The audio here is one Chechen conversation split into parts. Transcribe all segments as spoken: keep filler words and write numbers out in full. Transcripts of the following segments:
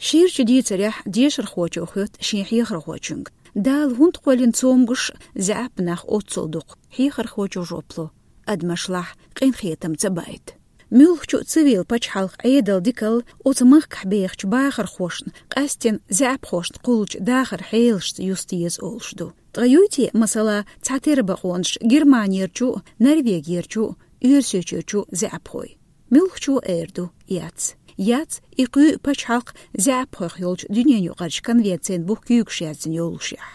Ширачу дийцарехь дешархочо хоьтту шен хьехархочуьнга: «Дала хӀунда кхоьллина цомгуш заьӀап нах оццул дукха?» Хьехархочо жоп ло: «Адамашлахь къинхетам ца байта». Муьлххачу а цивил пачхьалкхан Ӏедал дикалла оцу махкахь бехачу бахархошна, къаьсттина заьӀапхошна кхуллучу дахаран хьелашца юста еза олуш ду. Ткъа юй те, масала, цхьатерра бакъонаш Германерчу а, Норвегерчу а, Оьрсийчуьрчу а заьӀапхой? Муьлххачо эр ду: яц. Яц, и кхуьу пачхьалкх заьӀапхойх йолчу дуьненаюкъарчу конвенцин бух куьйгаш яздина йоллушехь.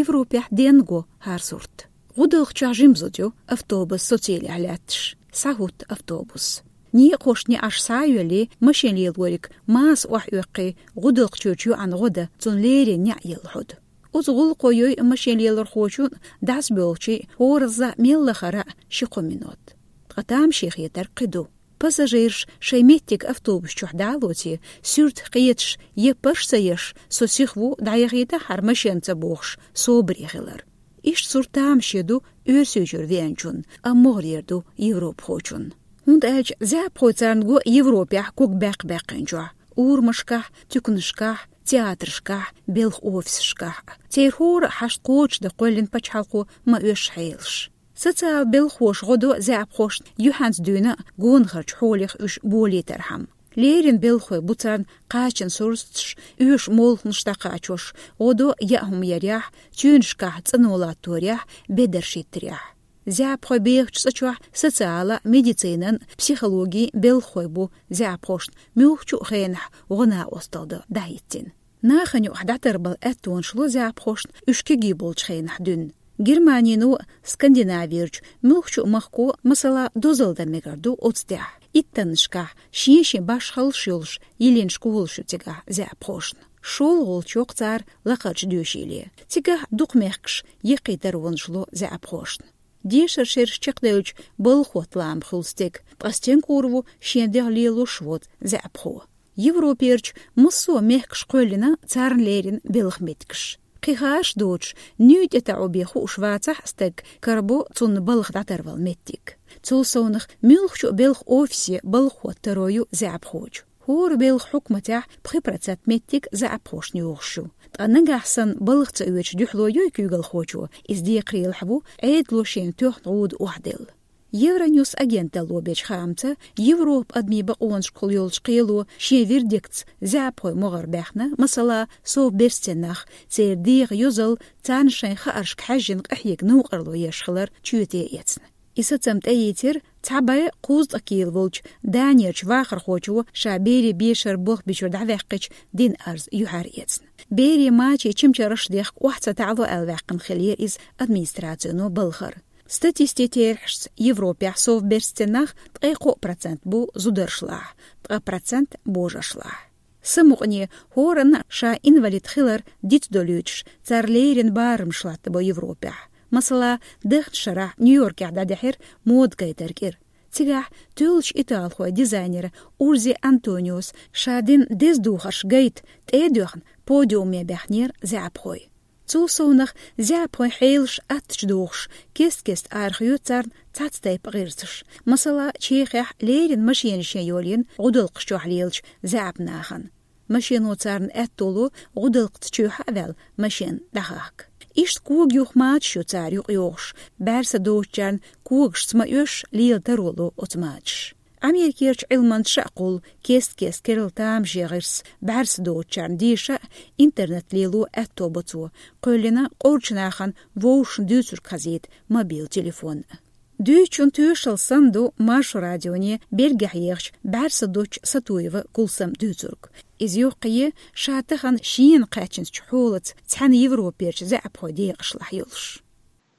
Европехь денна го хӀара сурт. ГӀудалкх чохь жима зуда ю, автобус социйла лаьтташ. СхьахӀутту автобус. Некъахошна неӀарш схьа а йоьллий, машен лелориг маса охьаоьккхий, гӀудалкх чуьрчу йоӀана гӀо дан, цунна леррина неӀ елла хьоду. Оцу гӀуллакхо йой машен лелорхочун а, дӀасабоьлхучийн а хӀоразза мел лахара а ши-кхо минот. Ткъа тамашийна хетарг кхин ду. Пассажираш шайн меттиг автобус чохь дӀа а лоций, суьртах кхеташ, еппарш а ца еш, со сиха ву, дӀаяхийтахьара машен ца бохуш, собаре хилар. Иштта сурт тамашийна ду Оьрсийчуьра веанчунна, амма могӀарера ду европхочунна. ХӀунда аьлча заьӀапхой царна го Европехь ког баьккха-баьккхинчохь, урамашкахь, туьканашкахь, театрашкахь, белхан офисашкахь. Церан хӀора а хьашт кхочушдан кхоьллина пачхьалкхо ма оьшу хьелаш. Социал белхахоша гӀо до заьӀапхошна юьхьанца дуьйна а, гонахарчу хьолах уьш болийтархьама. Леррина белхахой бу царна кхачанан сурсаташ, оьшу молханаш дӀакхачош, гӀо до яа хӀума ярехь, цуьнашкахь цӀано латторехь, бедарш йиттарехь. ЗаьӀапхой бехачу цӀа чохь социалан а, медицинан а, психологин а белхахой бу заьӀапхошна муьлххачу а хенахь гӀо-накъосталла дан дӀахӀиттина. Нахана юкъахь дӀатарбала аьттонаш ло заьӀапхошна уьш кегий болчу хенахь дуьйна. Германино а, Скандинавирчу муьлххачу а махко, масала, дозалла дан мегар ду оцу тӀехь. Иттаннашкахь шен-шен башхаллаш йолуш йиллина школаш ю цигахь заьӀапхошна. ШолгӀа волчу йоккху цара лакхарчу доьшийле. Цигахь дукха мехкаш яккхий таронаш ло заьӀапхошна. Дешаран шераш чекхдевлча, балха хӀотта лаам хуьлу стеган, ткъа стенга хуур ву шен дегӀ лелош воцу заьӀапхо. Европерчу массо а мехкаша кхоьллина царна леррина белхан меттигаш. Кхин хаарш доцуш, нуьйта тӀетаӀо бен хууш вацахь а стаг, карабо цунна балха дӀатарвала меттиг. Цул совнах муьлххачу а белхан офисе балха хӀотта таро ю заьӀапхочун. ХӀора белхан хьукматехь пхи процент меттиг заьӀапхошна йогӀуш ю. Ткъа нагахь санна балха ца оьцуш дуьхьало йой куьйгалхочо, иза декхарийлахь ву, Ӏедало шена тоьхна гӀуда охьаделла. Евроньюс агенталло бечу хаамца, Европан адамийн бакъонашкахула йолчу кхело шен вердиктца заьӀапхойн могӀара баьхна, масала, совберстан нах, церан дегӀан йозалла, царна шайн хааршка хьаьжжина къахьега новкъарло еш хилар чоьте эцна. И сацам тӀеийцира цхьа бӀе кхузткъа кийла волчу Данерчу вахархочо ша берийн бешара болх бичуьра дӀаваьккхича дина арз юьхьар эцна. Берийн мачийн чимчараш дехка охьа ца таӀало аьлла ваьккхина хиллера иза администрацино балхара. Статистикан терахьашца Европехь совберстан нах ткъе кхоъ процент бу зударшлахь, ткъа процент божаршлахь. Самукъане, хӀоранна а ша инвалид хилар дицдолуьйтуш, цара леррина барамаш латтабо Европехь. Масала, дахначу шарахь Нью-Йоркехь дӀадахьира мода гайтар кӀира. Цигахь тоьллачу италхойн дизайнера Урзи Антониос ша дина деза духарш гайта тӀе а доьхна, подиуме баьхнера заьӀапхой. Цул совнах заьӀапхойн хьелаш аттачу дохуш, кест-кеста арахоьцу царна цхьацца тайпа гӀирсаш. Масала, Чехехь леррина машенашна йолийна гӀудалкхаш чохь лелачу заьӀап нахана. Машено царна аьтто ло гӀудалкхаца чоьхьа а ваьлла машен дӀахахка. Иштта кога юха мачаш ю цара юкъайогӀуш, бӀаьрса доцучарна когашца ма оьшуш лела таро ло оцу мачаша. Америкерчу Ӏилманчаша а кхуллу кест-кеста керла тамашен гӀирс бӀаьрса доцучарна деша а, интернет лело аьтто бо цо, кхоьллина къорачу нахана вовшашна дуьйцург хазийта мобил телефон а. Дуьйцучун тоьшалла санна ду Маршо радионе Бельгехь ехачу бӀаьрса доцучу Сатуева Кулсаман дуьйцург. Иза йоккхае ша тахана шена кхаьчначу хьолаца цхьаьна Европерчу заьӀапхойн декъашлахь йолуш.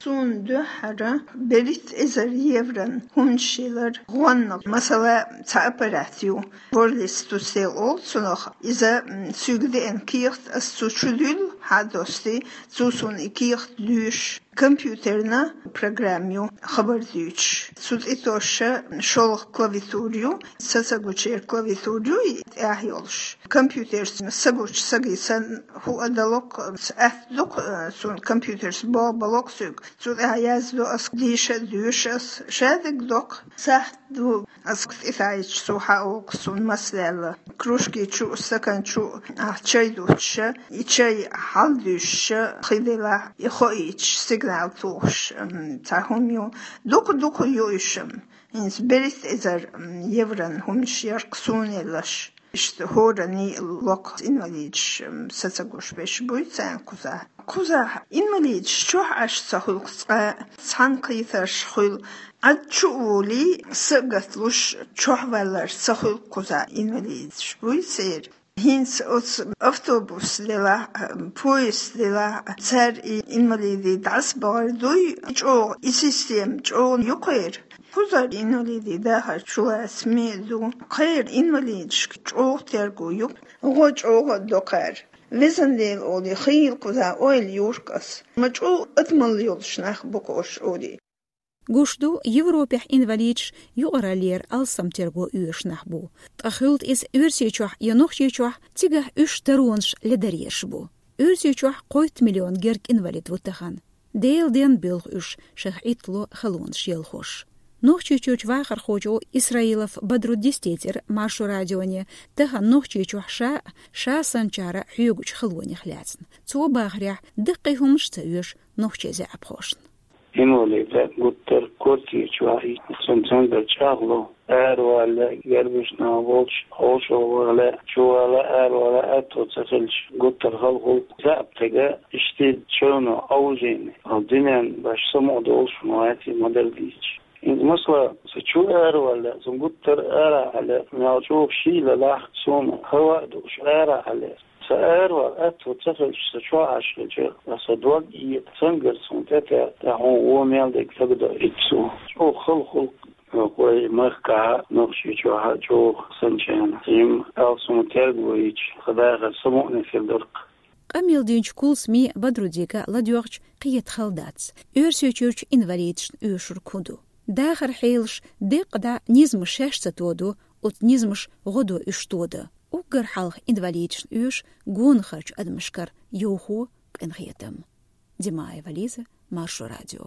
Суна дуьххьара берхӀитта эзар еврон хӀуманаш йилар гӀонах. Масала, цхьа аппарат ю, Ворлис ту сел олу цунах, иза, м, соьга деана кехат ас цу чу дуьллу, хьа а достий, цо суна и кехат луьйш. компьютерна программа ю, хабар дуьйцуш. Цу тӀе тосуш шолгӀа клавиатура ю, са ца гучера клавиатура ю, и тӀехь йолуш. Компьютерца са гучу сага санна хӀуъа далокх, атта дукха, э, цунна компьютерца боху балокх соьга. Цу тӀехь яздо ас, дийша а дуьйш ас, шадерг доккха сахьт ду. Ас тӀетаьӀча цо хьаокху суна маса лелла. Кружки чу, стакан чу ахь чай дуттуш, и чай хьалдуьйшуш хи делахь, и хоуьйтуш, сигнал тухуш, м, цхьа хӀума ю. Дукха-дукха ю уьш, м, хӀинца берхӀитта эзар, м, еврон хӀуманаш яра-кх суна елларш. Иштта хӀоранна локху инвалидаш, м, са ца гуш берш буй царна кхузахь. Кхузахь инвалидаш чохь Ӏаш ца хуьлу-кх цкъа, цхьаьна кхетарш хуьлу. Ӏад чу а волий, са а гаталуш, чохь валларш ца хуьлу-кх кхузахь, инвалидаш буй церан. ХӀинца оцу автобус делахь а, поезд делахь а, цара и инвалидий дӀасабахар дуй, чӀогӀа и система чӀогӀа ю кхеран. Кхузара инвалидий дахар чулацаме а ду, кхеран инвалидашка чӀогӀа терго ю, гӀо чӀогӀа а до кхара. Везан Дела олий, хийла кхузахь ойла йора-кх ас. Ма чӀогӀа адамалла йолуш нах бу-кх уьш олий. Гуш ду, Европехь инвалидаш юкъараллера алсам терго оьшуш нах бу. Ткъа хуьлда иза Оьрсийчохь я Нохчийчохь, цигахь уьш даронаш ледаръеш бу. Оьрсийчохь кхойтта миллион герга инвалид ву тахана. Делан денна боьлху уьш, шайх Ӏиттало халонаш елхош. Нохчийчуьрчу вахархочо Исраилов Бадруддис тӀеэцира Маршо радионе, тахана Нохчийчохь ша а, ша санначара хьоьгучу халонех лаьцна. Цо бахарехь, даккхий хӀуманаш ца оьшу нохчийн заьӀапхошна. Инвалида гуттар а квартира чу вахийта, цуьнан цуьнгара чӀагӀло, аравала, гергарчу наха волчу хьошалгӀа вала, чувала, аравала аьтто ца хилча, гуттар а хала хуьлу. ЗаьӀап стага иштта чевно Ӏовжийна, хьо дуьненна баш самукъа долуш ма вац и ма-дарра дийцича. ХӀинца масала, сан чу аравала, сан гуттар а арахьа лаьа, мел чӀогӀа шийла лахь суна, хӀаваъ дууш арахьа лаьа. Сан аравала аьтто ца хилча, сан чохь Ӏаш хилча, сан дог а экха, цуьнгара суна тӀетаьӀа, тӀаккха хьуна вон мел дерг сагадо итт суна. ЧӀогӀа хала хуьлу-кх вай махкахь а, Нохчийчохь а чӀогӀа санначарна. Цуьнан алсам терго йича, тхан дахар самукъане хир дара-кх. Къамел динчу Кулсамин а, Бадруддига а ладоьгӀча, кхета хала дац, Оьрсийчуьрчу инвалидашна оьшург хӀун ду. Дахаран хьелаш деккъа дӀа низамаш шаьш ца тодо, оцу низамаша гӀо до уьш тодан. Уггар хьалха инвалидашна оьшу гонахарчу адамашкара йовхо, къинхетам. Димаева Лиза, Маршо радио.